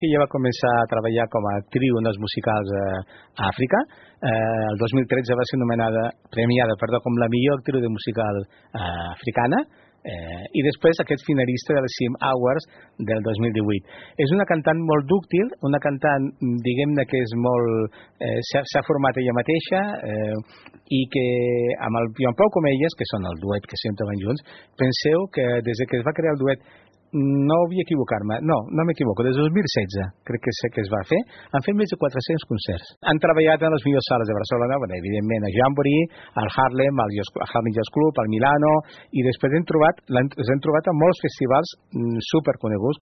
Ella va començar a treballar com a actriu en els musicals a Àfrica. El 2013 va ser premiada com la millor actriu de musical africana, i després aquest finalista del CIM Awards del 2018. És una cantant molt dúctil, una cantant, diguem-ne, que és molt... s'ha format ella mateixa, i que amb el Joan Pau Comelles, que són el duet que sempre van junts, penseu que des que es va crear el duet, no vull equivocar-me, no m'equivoco, des del 2016 crec que sé que es va fer, han fet més de 400 concerts. Han treballat en les millors sales de Barcelona, evidentment a Jamboree, al Harlem, al Harlem Jazz Club, al Milano, i després els hem trobat a molts festivals superconeguts,